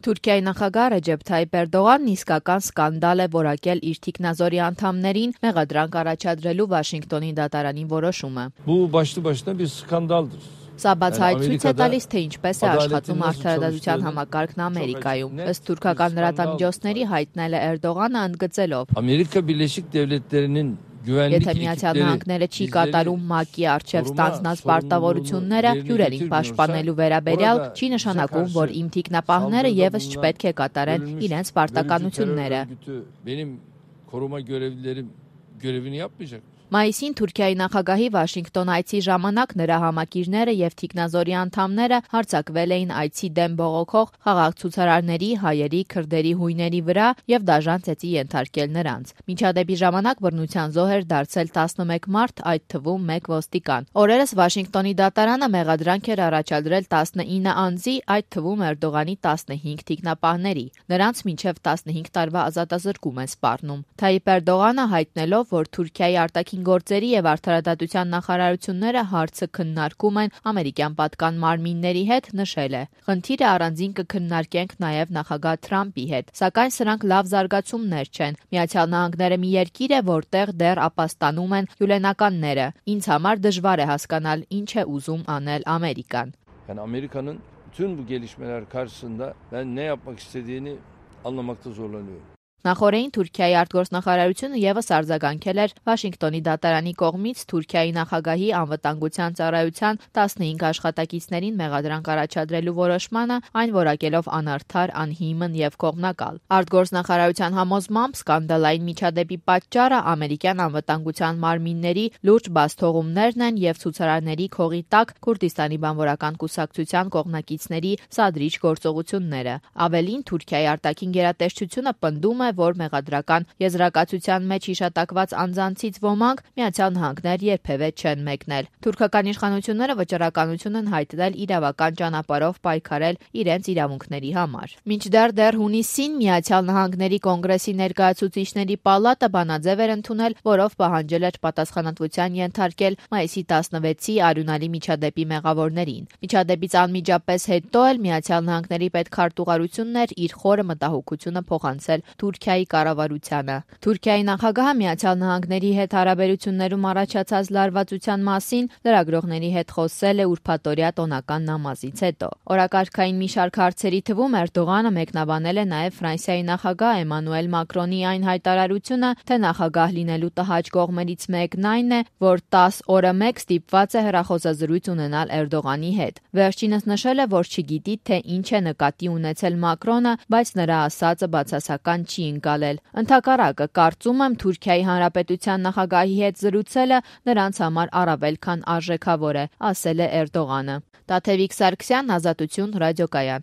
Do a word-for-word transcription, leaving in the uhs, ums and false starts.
Թուրքիայի նախագահ Ռեջեփ Թայիփ Էրդողանն իսկական սկանդալ է որակել իր թիկնազորի անդամներին մեղադրանք առաջադրելու Վաշինգտոնի դատարանի որոշումը։ Bu başlı başına bir skandaldır. Սա բացահայտ ցույց է տալիս, թե ինչպես է աշխատում արդարադատության համակարգն Ամերիկայում։ Ըստ թուրքական լրատվամիջոցների հայտնել է Էրդողանը ընդգծելով. Ամերիկա Birleşik Devletleri'nin Եթե Միացյալ Նահանգները չի կատարում ՄԱԿ-ի առջև ստանձնած պարտավորությունները հյուրերին պաշտպանելու վերաբերյալ, չի նշանակում, որ իմ թիկնապահները եւս չպետք է կատարեն իրենց պարտականությունները։ Մայիսին Թուրքիայի նախագահի Վաշինգտոն այցի ժամանակ նրա համակիրները եւ թիկնազորի անդամները հարձակվել էին այցի դեմ բողոքող խաղաղ ցուցարարների, հայերի, քրդերի հույների վրա եւ դաժան ծեծի ենթարկել նրանց։ Միջադեպի ժամանակ բռնության զոհ էր դարձել տասնմեկ մարդ, այդ թվում մեկ ոստիկան։ Օրերս Վաշինգտոնի դատարանը մեղադրանք էր առաջադրել տասնինը անձի, այդ թվում Էրդողանի տասնհինգ թիկնապահների։ Նրանց մինչեւ տասնհինգ տարվա ազատազրկում են սպառնում։ Թայիփ Էրդողանը հայտնելով, որ Թուրքիայի արտաքին գործերի եւ արդարադատության նախարարությունները հարցը քննարկում են ամերիկյան պատկան մարմինների հետ, նշել է. Խնդիրը առանձին կքննարկենք նաեւ նախագահ Թրամփի հետ, սակայն սրանք լավ զարգացումներ չեն։ Միացյալ Նահանգները մի երկիր է, որտեղ դեռ ապաստանում են հյուլենականները։ Ինձ համար դժվար է հասկանալ ինչ է ուզում անել Ամերիկան։ Yani Amerika'nın bütün bu gelişmeler karşısında ben ne yapmak istediğini anlamakta zorlanıyorum. Նախորդին Թուրքիայի արտգործնախարարությունը եւս արձագանքել էր Վաշինգտոնի դատարանի կողմից Թուրքիայի նախագահի անվտանգության ծառայության տասնհինգ աշխատակիցներին մեղադրանք առաջադրելու որոշմանը, այն որակելով անարդար, անհիմն եւ կողմնակալ։ Արտգործնախարարության համոզմամբ սկանդալային միջադեպի պատճառը ամերիկյան անվտանգության մարմինների լուրջ բացթողումներն են եւ ցուցարարների քողի տակ Քուրդիստանի բանվորական կուսակցության կողմնակիցների սադրիչ գործողությունները։ Ավելին Թուրքիայի արտաքին գերատեսչությունը պնդում է, որ մեղադրական եզրակացության մեջ հիշատակված անձանցից ոմանք Միացյալ Նահանգներ երբևէ չեն մեկնել։ Թուրքական իշխանությունները վճռականություն են հայտնել իրավական ճանապարհով պայքարել իրենց իրավունքների համար։ Մինչդեռ դեռ հունիսին Միացյալ Նահանգների կոնգրեսի ներկայացուցիչների պալատը բանաձև էր ընդունել, որով պահանջել էր պատասխանատվության ենթարկել մայիսի տասնվեցի արյունալի միջադեպի մեղավորներին։ Միջադեպից անմիջապես հետո էլ Միացյալ Նահանգների պետքարտուղարությունն էր իր խորը մտահոգությունը փոխանցել Թուրքիայի կառավարությանը։ Թուրքիայի նախագահը Միացյալ Նահանգների հետ հարաբերություններում առաջացած լարվածության մասին լրագրողների հետ խոսել է ուրբաթօրյա տոնական նամազից հետո։ Օրակարգային մի շարք հարցերի թվում Էրդողանը մեկնաբանել է նաև Ֆրանսիայի նախագահ Էմանուել Մակրոնի այն հայտարարությունը, թե նախագահ լինելու տհաճ կողմերից մեկն այն է, որ տասը օրը մեկ ստիպված է հեռախոսազրույց ունենալ Էրդողանի հետ։ Վերջինս նշել է, որ չգիտի, թե ինչ է նկատի ունեցել Մակրոնը, բայց նրա ասածը բացասական չի ընկալել։ Ընդհակառակը, կարծում եմ Թուրքիայի Հանրապետության նախագահի հետ զրուցելը նրանց համար առավել քան արժեքավոր է, ասել է Էրդողանը։ Տաթևիկ Սարգսյան, Ազատություն, ռադիոկայան։